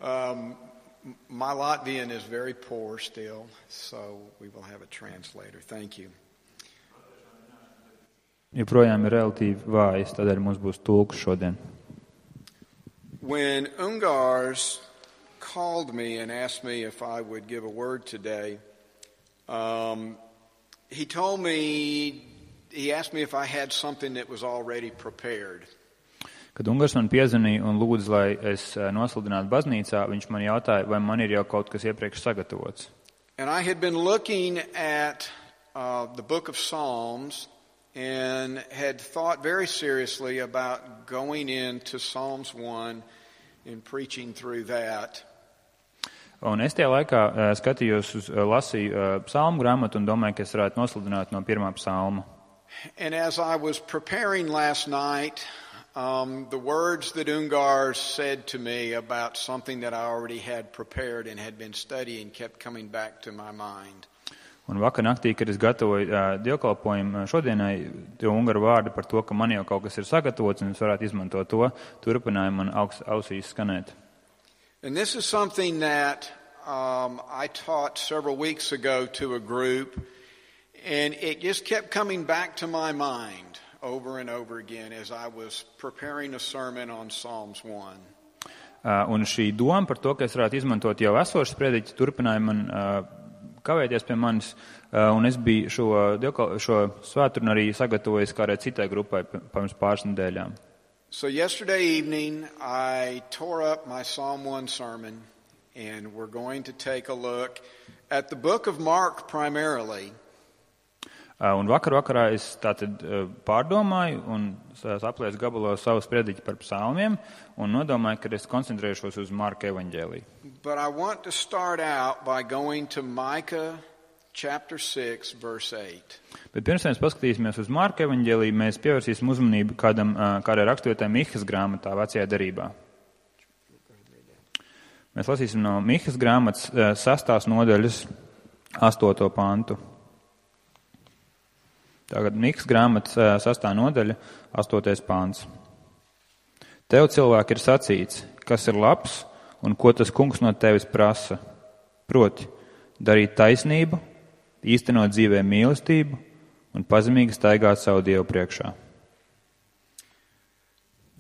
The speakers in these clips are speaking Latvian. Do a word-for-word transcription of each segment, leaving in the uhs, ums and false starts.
Um, my Latvian is very poor still, so we will have a translator. Thank you. Joprojām ir relatīvi vājas, tādēļ mums būs tulks šodien. When Ungars called me and asked me if I would give a word today, um, he told me, he asked me if I had something that was already prepared. Kad Ungars man piezvanīja un lūdza, lai es nosludinātu baznīcā, viņš man jautāja, vai man ir jau kaut kas iepriekš sagatavots. And I had been looking at uh, the book of Psalms and had thought very seriously about going into Psalms one and preaching through that. Un es tajā laikā uh, skatījos uz, uh, lasīju uh, psalmu grāmatu un domāju, ka es varētu nosludināt no pirmā psalma. And as I was preparing last night, um, the words that Ungars said to me about something that I already had prepared and had been studying kept coming back to my mind. Un vakar naktī, kad es gatavoju uh, dievkalpojumu šodienai, tie Ungaru vārdi par to, ka man jau kaut kas ir sagatavots un es varētu izmantot to, turpināja man augs, ausīs skanēt. And this is something that um, I taught several weeks ago to a group, and it just kept coming back to my mind over and over again as I was preparing a sermon on Psalms one. Uh, un šī doma par to, ka es varētu izmantot jau esošas prediķi, turpināja man uh, kavēties pie manis, uh, un es biju šo, šo svētdienu arī sagatavojis kādai citai grupai pirms pāris nedēļām. So yesterday evening, I tore up my Psalm one sermon, and we're going to take a look at the book of Mark primarily. Uh, un vakar vakarā es tātad uh, pārdomāju un saplēsu gabalos savus prediķi par psalmiem un nodomāju, ka es koncentrēšos uz Marka evaņģēliju. But I want to start out by going to Micah chapter six, verse eight. Bet pirms mēs paskatīsimies uz Marka evaņģēliju, mēs pievērsīsim uzmanību kādam, kādai raksturvietai Mihas grāmatā vecajā derībā. Mēs lasīsim no Mihas grāmatas sastās nodaļas astoto pantu. Tagad Mihas grāmatas sastā nodaļa astotais pants. Tev, cilvēki, ir sacīts, kas ir labs un ko tas kungs no tevis prasa. Proti, darīt taisnību, īstenot dzīvē mīlestību un pazemīgi staigāt savu Dievu priekšā.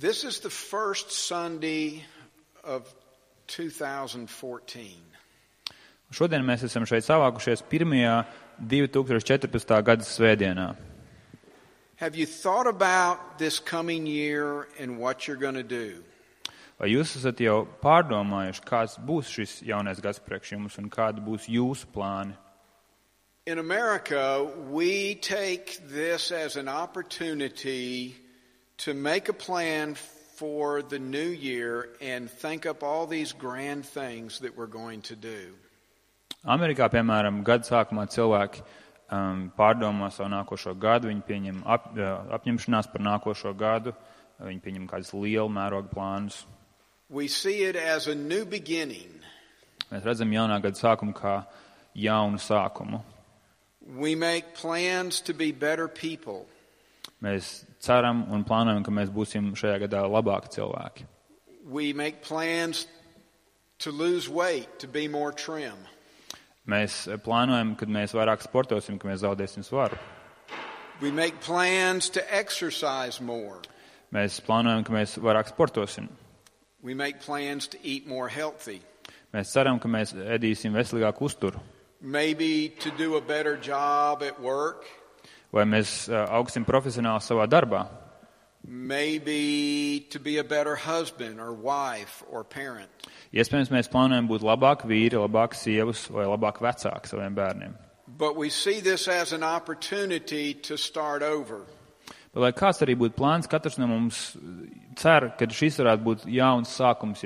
This is the first Sunday of two thousand fourteen. Šodien mēs esam šeit savākušies pirmajā divi tūkstoši četrpadsmitā gada svētdienā. Have you thought about this coming year and what you're going to do? Vai jūs esat jau pārdomājuši, kāds būs šis jaunais gads priekš jums un kādi būs jūsu plāni? In America, we take this as an opportunity to make a plan for the new year and think up all these grand things that we're going to do. Amerikā, piemēram, gada sākumā cilvēki um, pārdomā savu nākošo gadu, viņi pieņem ap, apņemšanās par nākošo gadu, viņi pieņem kādus lielu mērogu plānus. We see it as a new beginning. Mēs redzam jaunā gada sākumu kā jaunu sākumu. We make plans to be better people. Mēs ceram un plānojam, ka mēs būsim šajā gadā labāki cilvēki. We make plans to lose weight, to be more trim. Mēs plānojam, kad mēs vairāk sportosim, ka mēs zaudēsim svaru. We make plans to exercise more. Mēs plānojam, ka mēs vairāk sportosim. We make plans to eat more healthy. Mēs ceram, ka mēs ēdīsim veselīgāku uzturu. Maybe to do a better job at work. Vai mēs augsim profesionāli savā darbā. Maybe to be a better husband or wife or parent. Iespējams, mēs plānojam būt labāki vīri, labāki sievas vai labāki vecāki saviem bērniem. But we see this as an opportunity to start over. Bet, lai kāds arī būtu plāns, katrs no mums cer, ka šis varētu būt jauns sākums,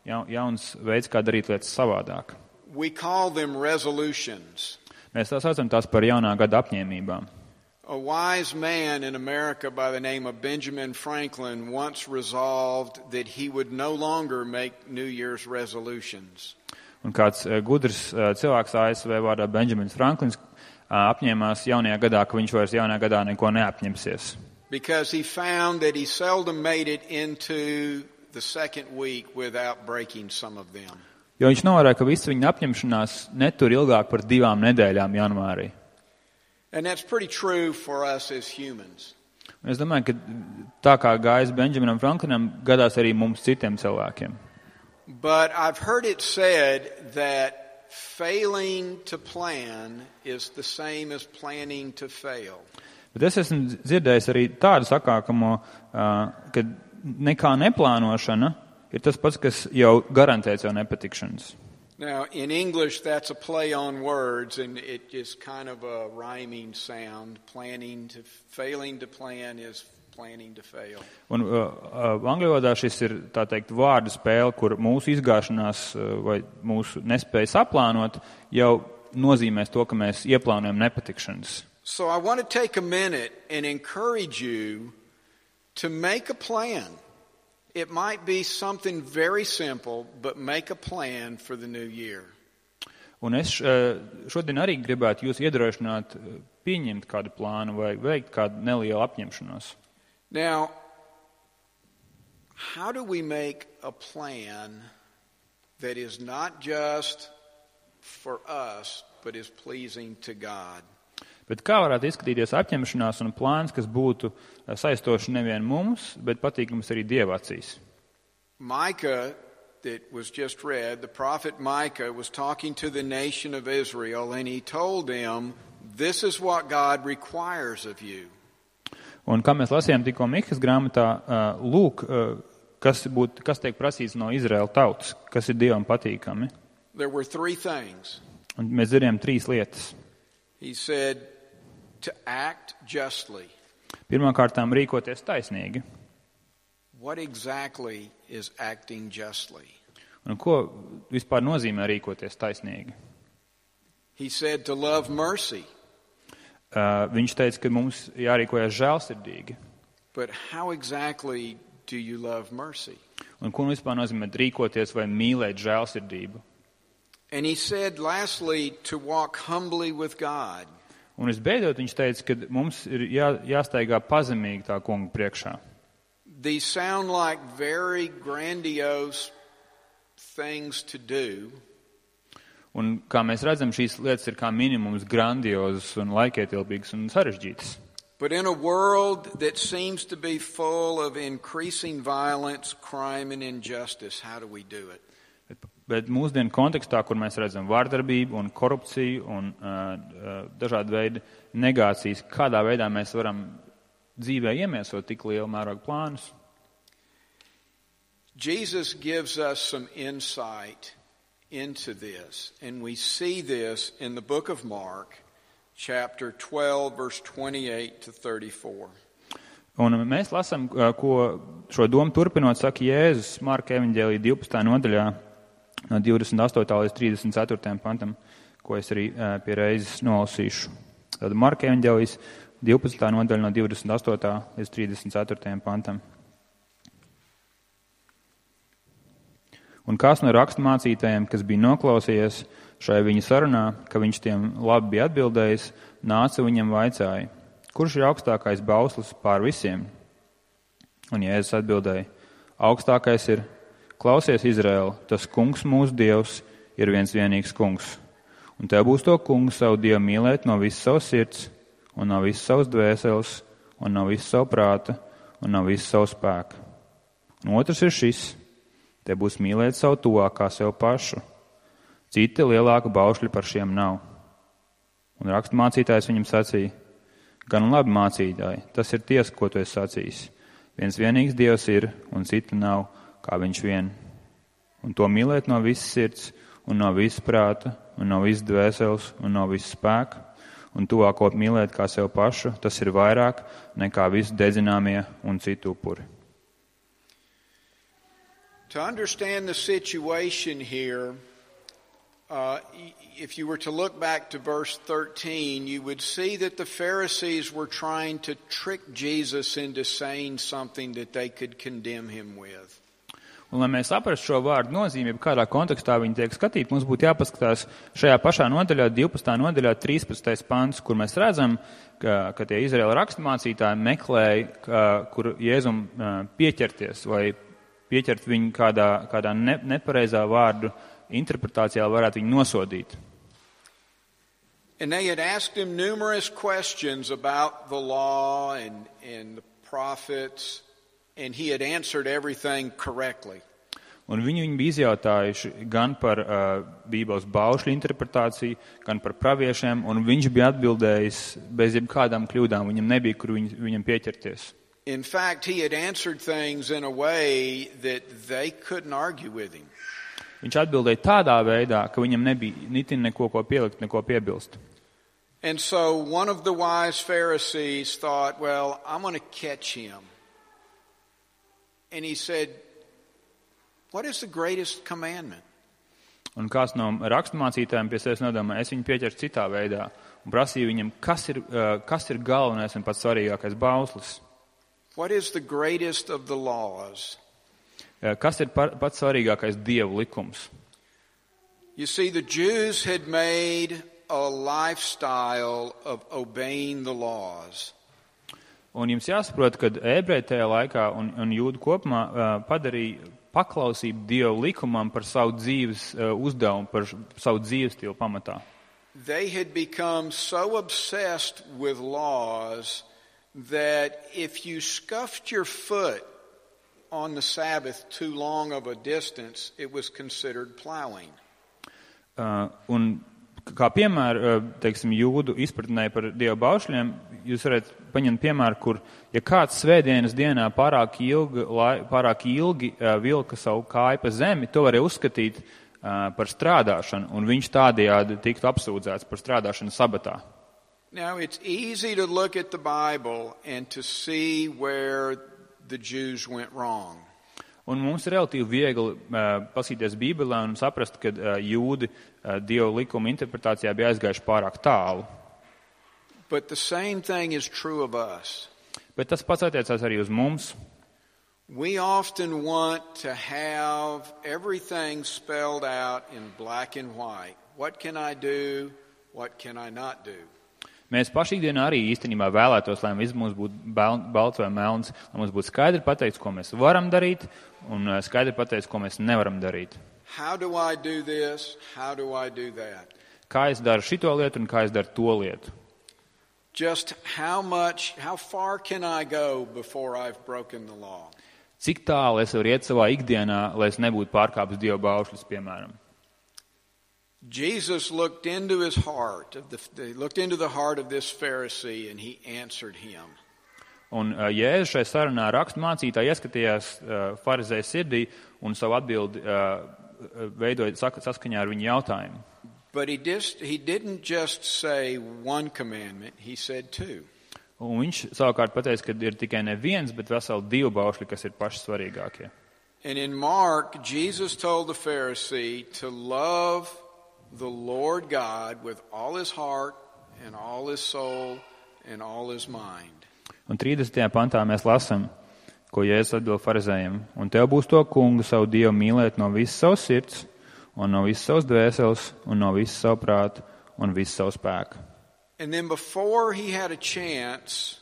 ja jauns veids, kā darīt lietas savādāk. We call them resolutions. Mēs tā saucam tās par jaunā gada apņēmībām. A wise man in America by the name of Benjamin Franklin once resolved that he would no longer make New Year's resolutions. Un kāds gudrs cilvēks A S V vārdā Benjamins Franklins apņēmās jaunajā gadā, ka viņš vairs jaunajā gadā neko neapņemsies. Because he found that he seldom made it into the second week without breaking some of them. Jo viņš novēroja, ka visa viņa apņemšanās netur ilgāk par divām nedēļām janvārī. And that's pretty true for us as humans. Un es domāju, ka tā kā gājis Benjaminam Franklinam, gadās arī mums citiem cilvēkiem. But I've heard it said that failing to plan is the same as planning to fail. Bet es esmu dzirdējis arī tādu sakākamo, ka nekā neplānošana ir tas pats, kas jau garantē jau nepatikšanas. Now, in English, that's a play on words, and it is kind of a rhyming sound. Planning to, failing to plan is planning to fail. Un uh, angļu valodā šis ir, tā teikt, vārdu spēle, kur mūsu izgāšanās uh, vai mūsu nespēja saplānot jau nozīmēs to, ka mēs ieplānojam nepatikšanas. So I want to take a minute and encourage you to make a plan. It might be something very simple, but make a plan for the new year. Un es šodien arī gribētu jūs iedrošināt pieņemt kādu plānu vai veikt kādu nelielu apņemšanos. Now, how do we make a plan that is not just for us, but is pleasing to God? Bet kā varētu izskatīties apņemšanās un plāns, kas būtu saistoši nevien mums, bet patīkams arī Dieva acīs? Micah, that was just read, the prophet Micah was talking to the nation of Israel, and he told them, this is what God requires of you. Un kā mēs lasījām tikko Mihas grāmatā, lūk, kas, būt, kas tiek prasīts no Izraēla tautas, kas ir Dievam patīkami. There were three things. Un mēs dzirdējām trīs lietas. He said, to act justly. Pirmkārtām rīkoties taisnīgi. What exactly is acting justly? Un ko vispār nozīmē rīkoties taisnīgi? He said to love mercy. Uh, viņš teica, ka mums jārīkojas žēlsirdīgi. But how exactly do you love mercy? Un ko vispār nozīmē rīkoties vai mīlēt žēlsirdību? And he said lastly to walk humbly with God. Un visbeidzot viņš teica, ka mums ir jā, jāstaigā pazemīgi tā kunga priekšā. These sound like very grandiose things to do. Un kā mēs redzam, šīs lietas ir kā minimums grandiozas un laikietilpīgas un sarežģītas. But in a world that seems to be full of increasing violence, crime and injustice, how do we do it? Bet, bet mūsdienu kontekstā, kur mēs redzam vārdarbību un korupciju un uh, dažādu veidu negācijas, kādā veidā mēs varam dzīvē iemiesot tik lielu mērogu plānus? Jesus gives us some insight into this, and we see this in the book of Mark, chapter twelve, verse twenty-eight to thirty-four. Un mēs lasām, ko šo domu turpinot saka Jēzus Marka evaņģēlija divpadsmitā nodaļā no divdesmit astotā līdz trīsdesmit ceturtajam pantam, ko es arī pie reizes nolasīšu. Tad Marka evaņģēlijas divpadsmitā nodaļa no divdesmit astotā līdz trīsdesmit ceturtajam pantam. Un kāds no raksturmācītājiem, kas bija noklausījies šai viņa sarunā, ka viņš tiem labi bija atbildējis, nāca viņam vaicāja, kurš ir augstākais bauslis pār visiem? Un Jēzus atbildēja, augstākais ir, klausies Izraēla, tas kungs mūsu Dievs ir viens vienīgs kungs. Un tev būs to kungu savu Dievu mīlēt no visas savas sirds, un no visas savas dvēseles, un no visas savu prāta, un no visas savu spēku. Un otrs ir šis, te būs mīlēt savu tuvākā sev pašu. Citi lielāku baušļi par šiem nav. Un raksturmācītājs viņam sacīja, gan labi mācītāji, tas ir tiesa, ko tu esi sacījis. Viens vienīgs Dievs ir, un cita nav, kā viņš vien. Un to mīlēt no visas sirds, un no visas prāta, un no visas dvēseles, un no visas spēka, un tuvāko mīlēt kā sev pašu, tas ir vairāk nekā visi dedzināmie un citu upuri. To understand the situation here, uh, if you were to look back to verse thirteen, you would see that the Pharisees were trying to trick Jesus into saying something that they could condemn him with. Un, lai mēs saprastu šo vārdu nozīmību, kādā kontekstā viņi tiek skatīti, mums būtu jāpaskatās šajā pašā nodaļā, divpadsmitā nodaļā, trīspadsmitais pants, kur mēs redzam, ka, ka tie Izraēla raksturmācītāji meklēja, ka, kur Jēzum pieķerties vai pieķert viņu kādā, kādā ne, nepareizā vārdu interpretācijā, varētu viņu nosodīt. And they had asked him numerous questions about the law and, and the prophets, and he had answered everything correctly. Un viņi viņu bija izjautājuši gan par uh, Bībeles baušļu interpretāciju, gan par praviešiem, un viņš bija atbildējis bez jebkādām kļūdām. Viņam nebija, kur viņ, viņam pieķerties. In fact, he had answered things in a way that they couldn't argue with him. Viņš atbildēja tādā veidā, ka viņam nebija nitin neko ko pielikt, neko piebilst. And so one of the wise Pharisees thought, well, I'm going to catch him. And he said, what is the greatest commandment? Un kāds no raksturmācītājiem pie sevis nodomāja, es viņu pieķeršu citā veidā un prasīju viņam, kas ir, uh, kas ir galvenais un pats svarīgākais bauslis. What is the greatest of the laws? Uh, kas ir par, pats svarīgākais Dievu likums? You see, the Jews had made a lifestyle of obeying the laws. Un jums jāsaprot, ka ebreji tajā laikā un, un jūdu kopumā uh, padarīja paklausību Dievu likumam par savu dzīves uh, uzdevumu, par savu dzīves stilu pamatā. They had become so obsessed with laws that if you scuffed your foot on the Sabbath too long of a distance, it was considered plowing. Uh, un kā piemēru, uh, teiksim, jūdu izpratnē par Dievu baušļiem, jūs varat paņemt piemēru, kur, ja kāds svētdienas dienā pārāk ilgi, lai, pārāk ilgi uh, vilka savu kāju pa zemi, to varēja uzskatīt uh, par strādāšanu, un viņš tādējādi tiktu apsūdzēts par strādāšanu sabatā. Now, it's easy to look at the Bible and to see where the Jews went wrong. Un mums ir relatīvi viegli uh, pasīties Bībelē un saprast, ka uh, jūdi uh, Dieva likuma interpretācijā bija aizgājuši pārāk tālu. But the same thing is true of us. Bet tas pats attiecās arī uz mums. We often want to have everything spelled out in black and white. What can I do? What can I not do? Mēs paši ikdienā arī īstenībā vēlētos, lai viss mums būtu balts vai melns, lai mums būtu skaidri pateikts, ko mēs varam darīt, un skaidri pateikts, ko mēs nevaram darīt. How do I do this? How do I do that? Kā es daru šito lietu un kā es daru to lietu? Just how much, how far can I go before I've broken the law? Cik tālu es varu iet savā ikdienā, lai es nebūtu pārkāpis Dieva baušļus, piemēram? Jesus looked into his heart, of the, looked into the heart of this Pharisee, and he answered him. Un uh, Jēzus šai sarunā raksturmācītāji ieskatījās uh, farizēja sirdī un savu atbildi uh, veidoja saskaņā ar viņu jautājumu. But he, just, he didn't just say one commandment, he said two. Un viņš savukārt pateica, ka ir tikai ne viens, bet veseli divi baušļi, kas ir paši svarīgākie. And in Mark, Jesus told the Pharisee to love the Lord God with all his heart and all his soul and all his mind. Un trīsdesmitajā pantā mēs lasam, ko Jēzus atbild farizējiem. Un tev būs to kungu savu Dievu mīlēt no visas savas sirds, un no visas savas dvēseles, un no visas savu prātu, un visas savu spēku. And then before he had a chance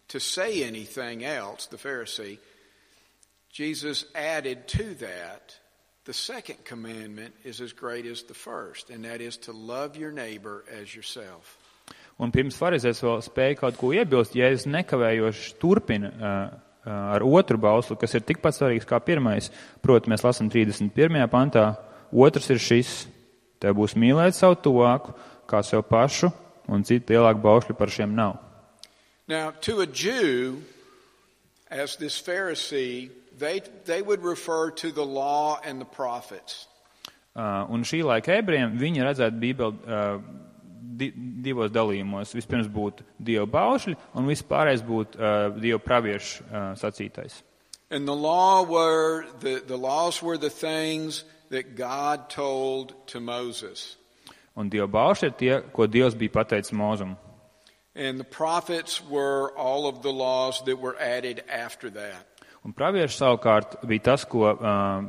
to say anything else, the Pharisee, Jesus added to that, the second commandment is as great as the first, and that is to love your neighbor as yourself. Un pirms farizējs vēl spēja kaut ko iebilst, Jēzus nekavējoši turpina uh, uh, ar otru bauslu, kas ir tikpat svarīgs kā pirmais. Proti, mēs lasam trīsdesmit pirmajā pantā, otrs ir šis, tev būs mīlēt savu tuvāku, kā sev pašu, un citu lielāku bausļu par šiem nav. Now, to a Jew, as this Pharisee, They, they would refer to the law and the prophets. Uh, un šī laika ebrejiem viņi redzētu Bībeli uh, di, divos dalījumos. Vispirms būtu Dieva baušļi, un vispārējais būtu uh, Dieva praviešu uh, sacītais. And the law were the, the laws were the things that God told to Moses. Un Dieva baušļi ir tie, ko Dievs bija pateicis Mūzum. And the prophets were all of the laws that were added after that. Un pravieši savukārt bija tas, ko uh,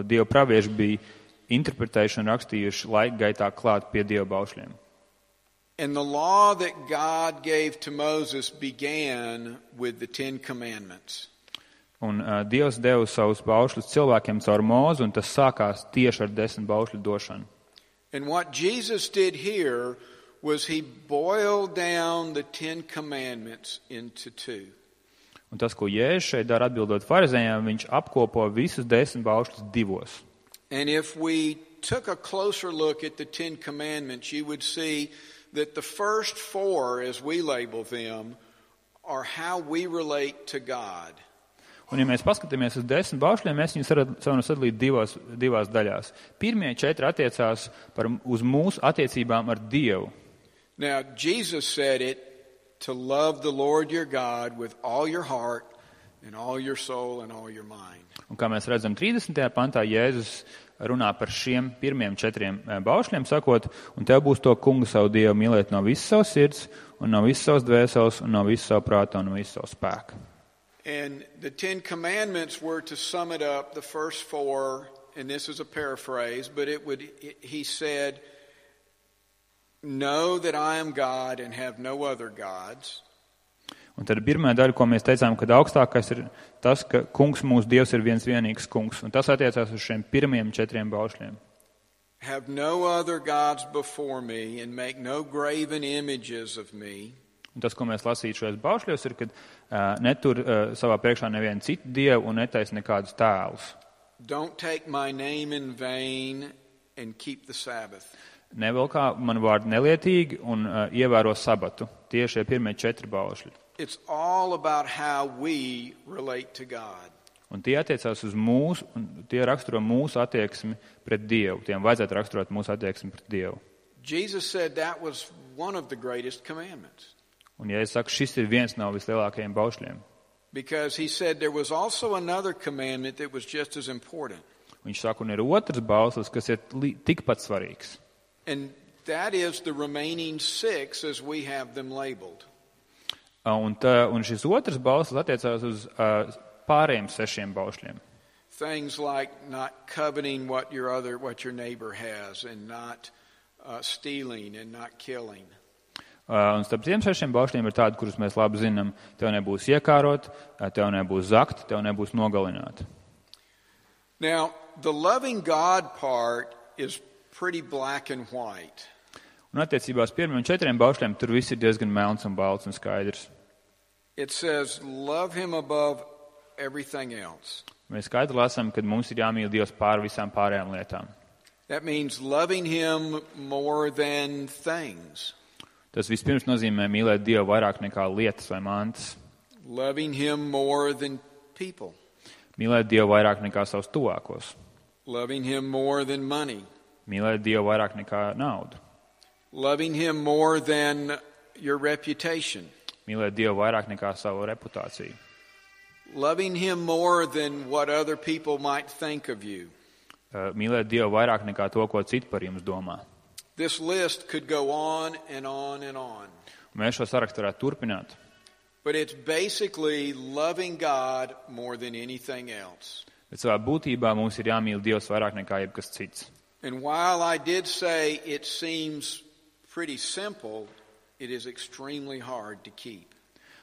Dieva pravieši bija interpretējuši un rakstījuši laika gaitā klāt pie Dieva baušļiem. And the law that God gave to Moses began with the Ten Commandments. Un uh, Dievs deva savus baušļus cilvēkiem caur Mūzu, un tas sākās tieši ar desmit baušļu došanu. And what Jesus did here was he boiled down the Ten Commandments into two. Un tas, ko Jēzus šeit dara atbildot farizējiem, viņš apkopo visus desmit baušļus divos. And if we took a closer look at the Ten Commandments, you would see that the first four, as we label them, are how we relate to God. Un, ja mēs paskatāmies uz desmit baušļiem, mēs viņus varam sadalīt divās, divās daļās. Pirmie četri attiecās par, uz mūsu attiecībām ar Dievu. Now, Jesus said it, to love the Lord your God with all your heart and all your soul and all your mind. Un kā mēs redzam trīsdesmitajā pantā, Jēzus runā par šiem pirmiem četriem baušļiem, sakot, un tev būs to kungu savu Dievu mīlēt no visas savas sirds, un no visas savas dvēseles, un no visas savu prāta, un no visas savu spēku. And the Ten Commandments were, to sum it up, the first four, and this is a paraphrase, but it would, it, he said, know that I am God and have no other gods. Un tad pirmā daļa, ko mēs teicām, kad augstākais ir tas, ka kungs mūsu Dievs ir viens vienīgs kungs. Un tas attiecās uz šiem pirmiem četriem baušļiem. Have no other gods before me and make no graven images of me. Un tas, ko mēs lasītu šajos baušļos, ir, kad uh, netur uh, savā priekšā nevienu citu dievu un netaisa nekādus tēlus. Don't take my name in vain and keep the Sabbath. Nevelkā man vārdu nelietīgi un uh, ievēro sabatu. Tieši šie pirmie četri baušļi. It's all about how we relate to God. Un tie attiecās uz mūsu, un tie raksturo mūsu attieksmi pret Dievu. Tiem vajadzētu raksturot mūsu attieksmi pret Dievu. Jesus said that was one of the greatest commandments. Un ja es saku, šis ir viens no vislielākajiem baušļiem. Because he said there was also another commandment that was just as important. Viņš saka, un ir otrs bauslis, kas ir li- tikpat svarīgs. And that is the remaining six as we have them labeled. Un, tā, un šis otrs bauslis attiecās uz uh, pārējiem sešiem baušļiem. Things like not coveting what your other, what your neighbor has, and not uh, stealing and not killing. Uh, un starp tiem sešiem baušļiem ir tādi, kurus mēs labi zinām. Tev nebūs iekārot, tev nebūs zakt, tev nebūs nogalināt. Now, the loving God part is pretty black and white. Un attiecībā uz pirmiem četriem baušļiem tur viss ir diezgan melns un balts un skaidrs. It says, love him above everything else. Mēs skaidri lasām, ka mums ir jāmīl Dievs pār visām pārējām lietām. That means loving him more than things. Tas vispirms nozīmē mīlēt Dievu vairāk nekā lietas vai mantas. Loving him more than people. Mīlēt Dievu vairāk nekā savus tuvākos. Loving him more than money. Mīlēt Dievu vairāk nekā naudu. Loving him more than your reputation. Mīlēt Dievu vairāk nekā savu reputāciju. Loving him more than what other people might think of you. Mīlēt Dievu vairāk nekā to, ko citi par jums domā. This list could go on and on and on. Mēs šo sarakstu varētu turpināt. But it's basically loving God more than anything else. Bet savā būtībā mums ir jāmīl Dievs vairāk nekā jebkas cits. And while I did say it seems pretty simple, it is extremely hard to keep.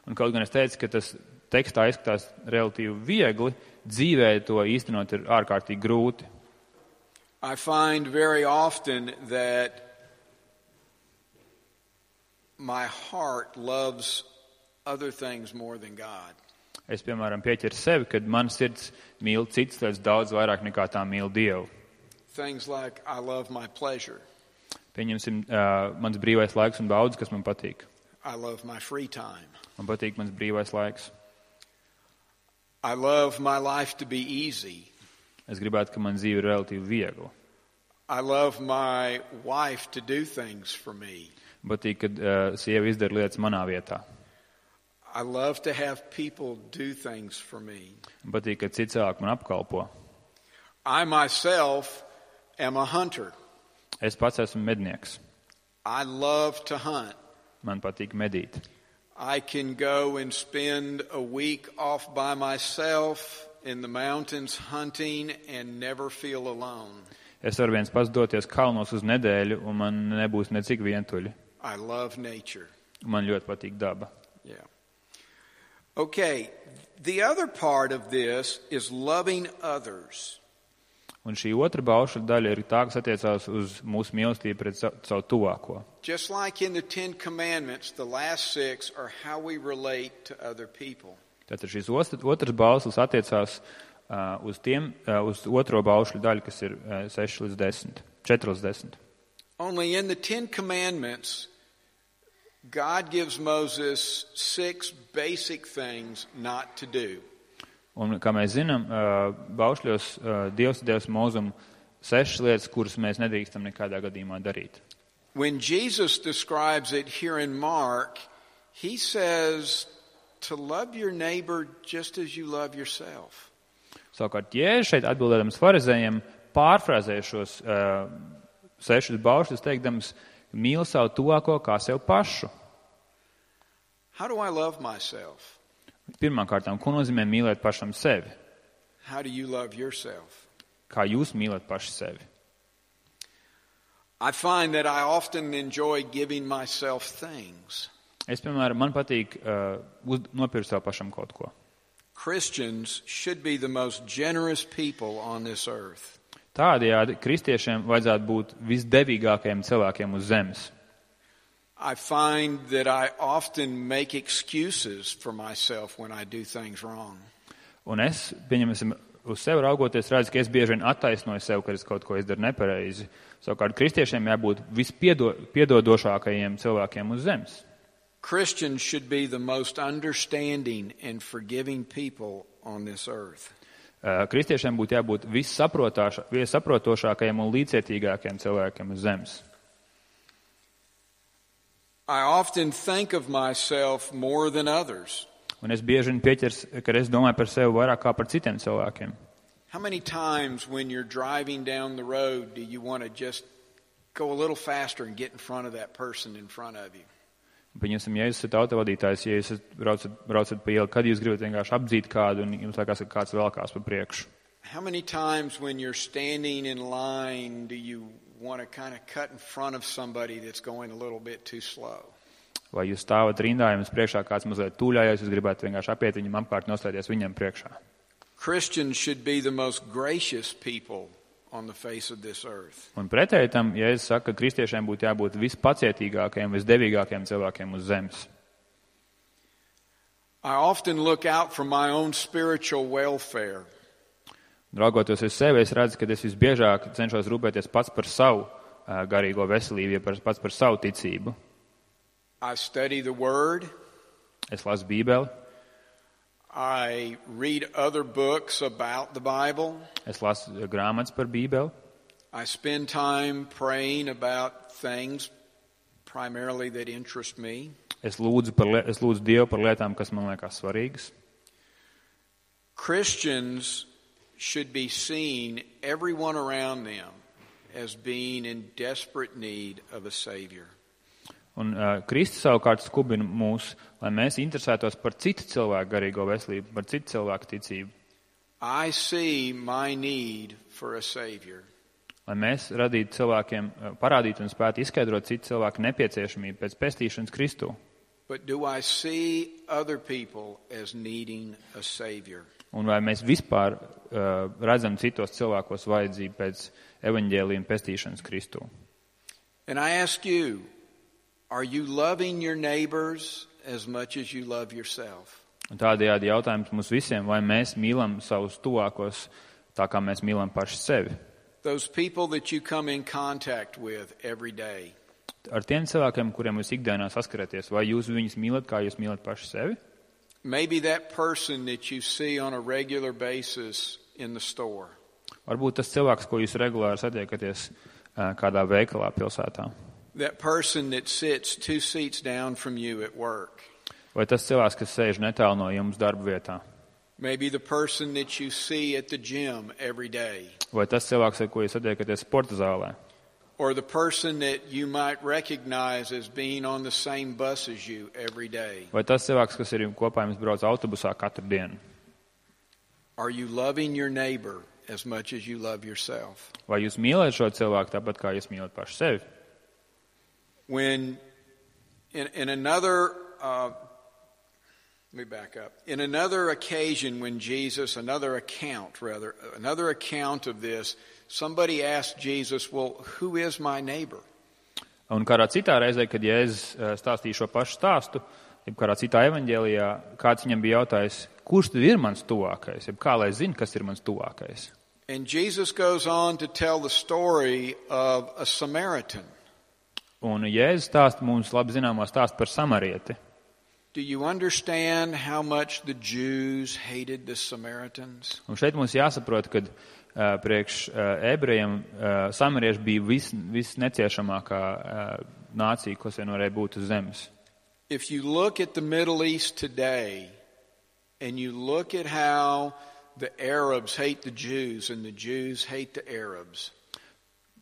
Un kaut gan es teicu, ka tas tekstā izskatās relatīvi viegli, dzīvē to īstenot ir ārkārtīgi grūti. I find very often that my heart loves other things more than God. Es, piemēram, pieķeru sevi, kad man sirds mīl citas lietas daudz vairāk nekā tā mīl Dievu. Things like I love my pleasure. Pieņemsim uh, mans brīvais laiks un baudas, kas man patīk. I love my free time. Man patīk mans brīvais laiks. I love my life to be easy. Es gribētu, ka man dzīve ir relatīvi viegla. I love my wife to do things for me. Patīk, kad uh, sieva izdara lietas manā vietā. I love to have people do things for me. Patīk, kad citi cilvēki man apkalpo. I myself am a hunter. Es pats esmu mednieks. I love to hunt. Man patīk medīt. I can go and spend a week off by myself in the mountains hunting and never feel alone. Es varu viens pats doties kalnos uz nedēļu, un man nebūs necik vientuļi. I love nature. Man ļoti patīk daba. Yeah. Okay, the other part of this is loving others. Un šī otra baušļa daļa ir tā, kas attiecās uz mūsu mīlestību pret savu tuvāko. Just like in the Ten Commandments, the last six are how we relate to other people. Tātad šīs otras baušļas attiecās uh, uz, tiem, uh, uz otro baušļu daļu, kas ir uh, seši līdz desmit, četri līdz desmit. Only in the Ten Commandments, God gives Moses six basic things not to do. Un, kā mēs zinām, baušļos Dievs devis Mūzum sešas lietas, kuras mēs nedrīkstam nekādā gadījumā darīt. When Jesus describes it here in Mark, he says to love your neighbor just as you love yourself. Savukārt, Jēzus šeit atbildēdams farizējiem pārfrāzēja šos uh, sešas baušļus, teikdams, mīli savu tuvāko kā sev pašu. How do I love myself? Pirmkārtām, ko nozīmē mīlēt pašam sevi? How do you love yourself? Kā jūs mīlat paši sevi? I find that I often enjoy giving myself things. Es, piemēram, man patīk uh, uz, nopirkt sev pašam kaut ko. Christians should be the most generous people on this earth. Tādējādi kristiešiem vajadzētu būt visdevīgākajiem cilvēkiem uz zemes. I find that I often make excuses for myself when I do things wrong. Un es, pieņemsim, uz sevi raugoties, redzu, ka es bieži vien attaisnoju sev, ka es kaut ko izdaru nepareizi. Savukārt kristiešiem jābūt vispiedodošākajiem cilvēkiem uz zemes. Christians should be the most understanding and forgiving people on this earth. Kristiešiem būtu jābūt vissaprotošākajiem un līdzcietīgākajiem cilvēkiem uz zemes. I often think of myself more than others. Un es bieži vien pieķers, ka es domāju par sevi vairāk kā par citiem cilvēkiem. How many times when you're driving down the road do you want to just go a little faster and get in front of that person in front of you? Pieņemsim, ja jūs esat autovadītājs, ja jūs braucat, braucat pa ielu, kad jūs gribat vienkārši apdzīt kādu un jums liekas, ka kāds velkās pa priekšu? How many times when you're standing in line do you want to kind of cut in front of somebody that's going a little bit too slow? Vai jūs stāvat rindā, jums priekšā kāds mazliet tūļājās, jūs gribētu vienkārši apiet viņam apkārt, nostāties viņam priekšā? Christians should be the most gracious people on the face of this earth. Un pretēji tam, ja es saku, ka kristiešiem būtu jābūt vispacietīgākajiem, visdevīgākajiem cilvēkiem uz zemes. I often look out for my own spiritual welfare. Raugoties uz sevi, es redzu, ka es visbiežāk cenšos rūpēties pats par savu uh, garīgo veselību, ja pats par savu ticību. I study the Word. Es lasu Bībeli. I read other books about the Bible. Es lasu grāmatas par Bībeli. I spend time praying about things primarily that interest me. Es lūdzu, par, es lūdzu Dievu par lietām, kas man liekas svarīgas. Christians should be seen, everyone around them, as being in desperate need of a Savior. Un uh, Kristus savukārt skubina mūs, lai mēs interesētos par citu cilvēku garīgo veselību, par citu cilvēku ticību. I see my need for a Savior. Lai mēs radītu cilvēkiem, parādītu un spētu izskaidrot citu cilvēku nepieciešamību pēc pestīšanas Kristū. But do I see other people as needing a Savior? Un vai mēs vispār uh, redzam citos cilvēkos vajadzību pēc evaņģēlija un pestīšanas Kristū? And I ask you, are you loving your neighbors as much as you love yourself? Un tādējādi jautājums mums visiem, vai mēs mīlam savus tuvākos tā, kā mēs mīlam paši sevi? Those people that you come in contact with every day. Ar tiem cilvēkiem, kuriem jūs ikdienā saskaraties, vai jūs viņus mīlat, kā jūs mīlat paši sevi? Maybe that person that you see on a regular basis in the store. Varbūt tas cilvēks, ko jūs regulāri satiekaties kādā veikalā pilsētā. That person that sits two seats down from you at work. Vai tas cilvēks, kas sēž netālu no jums darba vietā? Maybe the person that you see at the gym every day. Vai tas cilvēks, ar ko jūs satiekaties sporta zālē? Or the person that you might recognize as being on the same bus as you every day. Vai tas cilvēks, kas ir kopā jums brauc autobusā katru dienu? Are you loving your neighbor as much as you love yourself? Vai jūs mīlat šo cilvēku tāpat, kā jūs mīlat paši sevi? When in, in another uh, Let me back up. In another occasion when Jesus, another account rather, another account of this, somebody asked Jesus, well, who is my neighbor? Un kādā citā reizē, kad Jēzus stāstīja šo pašu stāstu, jeb kādā citā evaņģēlijā, kāds viņam bija jautājis, kurš tad ir mans tuvākais, jeb kā lai zina, kas ir mans tuvākais. And Jesus goes on to tell the story of a Samaritan. Un Jēzus stāsta mums labi zināmo stāstu par samarieti. Do you understand how much the Jews hated the Samaritans? Un šeit mums jāsaprot, ka uh, priekš uh, ebrejiem uh, samarieši bija vis, visneciešamākā uh, nācija, kas vien varēja būt uz zemes. If you look at the Middle East today, and you look at how the Arabs hate the Jews and the Jews hate the Arabs.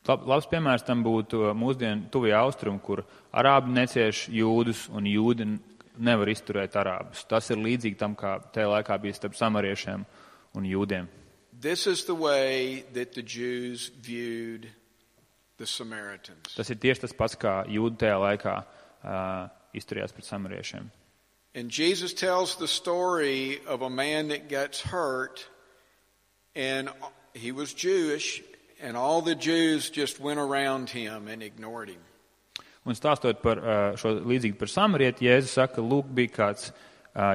Lab, labs piemērs tam būtu mūsdienu tuvie austrumi, kur arābi necieš jūdus un jūdi nevar izturēt arābus. Tas ir līdzīgi tam, kā tajā laikā bija starp samariešiem un jūdiem. This is the way that the Jews viewed the Samaritans. Tas ir tieši tas pats, kā jūdi tajā laikā uh, izturējās pret samariešiem. And Jesus tells the story of a man that gets hurt, and he was Jewish, and all the Jews just went around him and ignored him. Un stāstot par šo līdzīgi par samarieti, Jēzus saka, lūk, bija kāds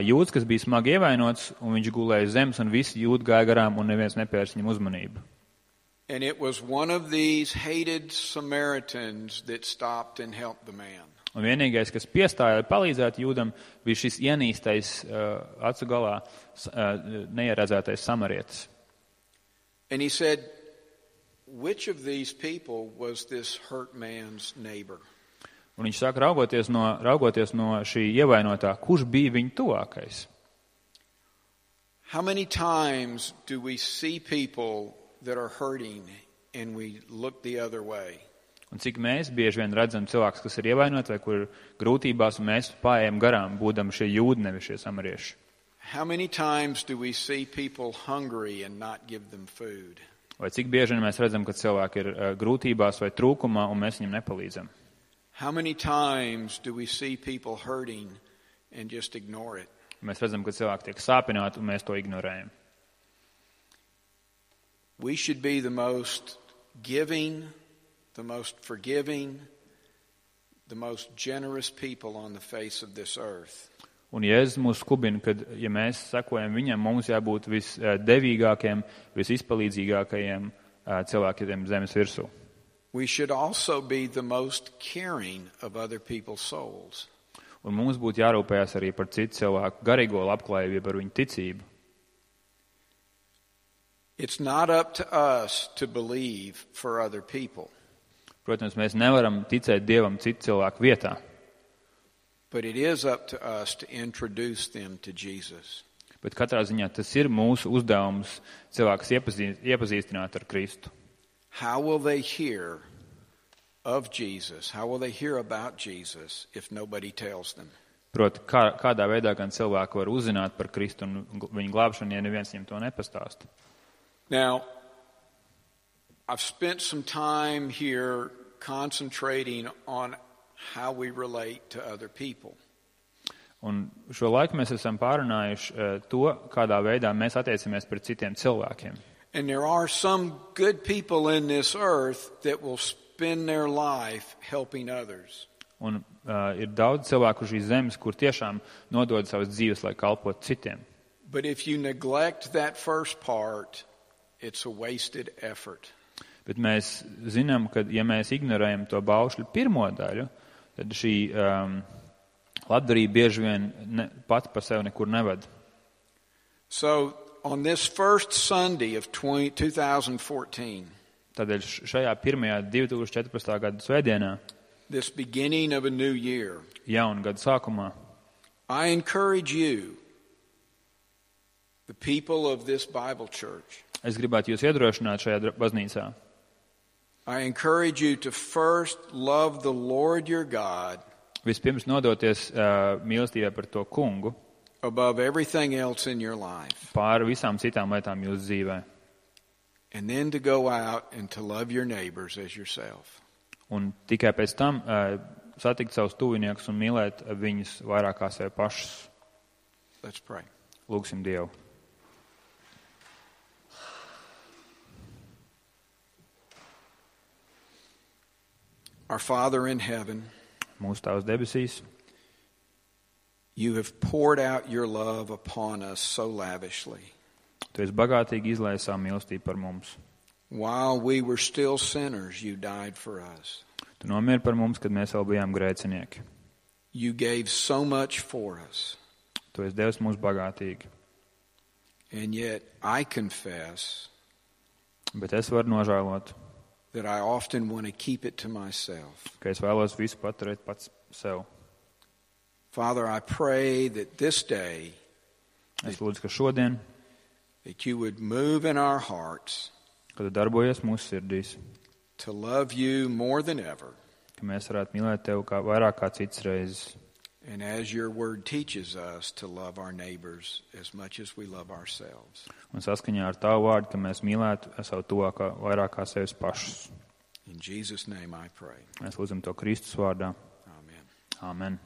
jūds, kas bija smagi ievainots, un viņš gulēja zemes, un visi jūdi gāja garām, un neviens nepērš viņam uzmanību. And it was one of these hated Samaritans that stopped and helped the man. Un vienīgais, kas piestāja, lai palīdzētu jūdam, bija šis ienīstais uh, acu galā uh, neieredzētais samarietis. And he said, which of these people was this hurt man's neighbor? Un viņš saka, raugoties no, raugoties no šī ievainotā, kurš bija viņa tuvākais? How many times do we see people that are hurting and we look the other way? Un cik mēs bieži vien redzam cilvēkus, kas ir ievainoti vai kur ir grūtībās, un mēs paējam garām, būdam šie jūdi, nevis šie samarieši. How many times do we see people hungry and not give them food? Vai cik bieži vien mēs redzam, ka cilvēki ir uh, grūtībās vai trūkumā, un mēs viņiem nepalīdzam? How many times do we see people hurting and just ignore it? Mēs redzam, ka cilvēki tiek sāpināti, un mēs to ignorējam. We should be the most giving, the most forgiving, the most generous people on the face of this earth. Un Jēzus mūs skubina, kad, ja mēs sekojam viņam, mums jābūt visdevīgākiem, visizpalīdzīgākajiem cilvēkiem zemes virsū. We should also be the most caring of other people's souls. Un mums būtu jārūpējas arī par citu cilvēku garīgo labklājību, par viņu ticību. It's not up to us to believe for other people. Protams, mēs nevaram ticēt Dievam citu cilvēku vietā. But it is up to us to introduce them to Jesus. Bet katrā ziņā tas ir mūsu uzdevums cilvēkus iepazīst, iepazīstināt ar Kristu. How will they hear of Jesus? How will they hear about Jesus if nobody tells them? Proti, kā, kādā veidā gan cilvēki var uzzināt par Kristu un viņu glābšanu, ja neviens viņam to nepastāsta? Now, I've spent some time here concentrating on how we relate to other people. Un šo laiku mēs esam pārunājuši uh, to, kādā veidā mēs attiecamies pret citiem cilvēkiem. And there are some good people in this earth that will spend their life helping others. Un uh, ir daudz cilvēku šīs zemes, kur tiešām nodod savas dzīves, lai kalpotu citiem. But if you neglect that first part, it's a wasted effort. Bet mēs zinām, ka ja mēs ignorējam to baušļu pirmo daļu, tad šī um, labdarība bieži vien ne, pati par sevi nekur neved. So, on this first Sunday of twenty fourteen, Tādēļ šajā pirmajā divi tūkstoši četrpadsmitā gada svētdienā, this beginning of a new year, jauna gada sākumā, I encourage you, the people of this Bible church, es gribētu jūs iedrošināt šajā baznīcā. I encourage you to first love the Lord your God Vispirms nodoties uh, mīlestībai par to kungu, above everything else in your life. pāri visām citām lietām jūsu dzīvē. And then to go out and to love your neighbors as yourself. Un tikai pēc tam uh, satikt savus tuviniekus un mīlēt viņus vairāk kā sevi pašus. Let's pray. Lūgsim Dievu. Our Father in heaven, Mūsu Tēvs debesīs, you have poured out your love upon us so lavishly. Tu esi bagātīgi izlaisis savu mīlestību par mums. While we were still sinners, you died for us. Tu nomieri par mums, kad mēs vēl bijām grēcinieki. You gave so much for us. Tu esi devis mums bagātīgi. And yet I confess Bet es varu nožēlot, that I often want to keep it to myself. ka es vēlos visu paturēt pats sev. Father, I pray that this day Es lūdzu, ka šodien, that you would move in our hearts kad tu darbojies mūsu sirdīs, to love you more than ever. ka mēs varētu mīlēt Tevi kā, vairāk kā citas reizes. And as your word teaches us to love our neighbors as much as we love ourselves. Un saskaņā ar Tavu vārdu, ka mēs mīlētu savu tuvākā vairāk kā sevis pašus. In Jesus' name I pray. Mēs lūdzam to Kristus vārdā. Amen. Āmen.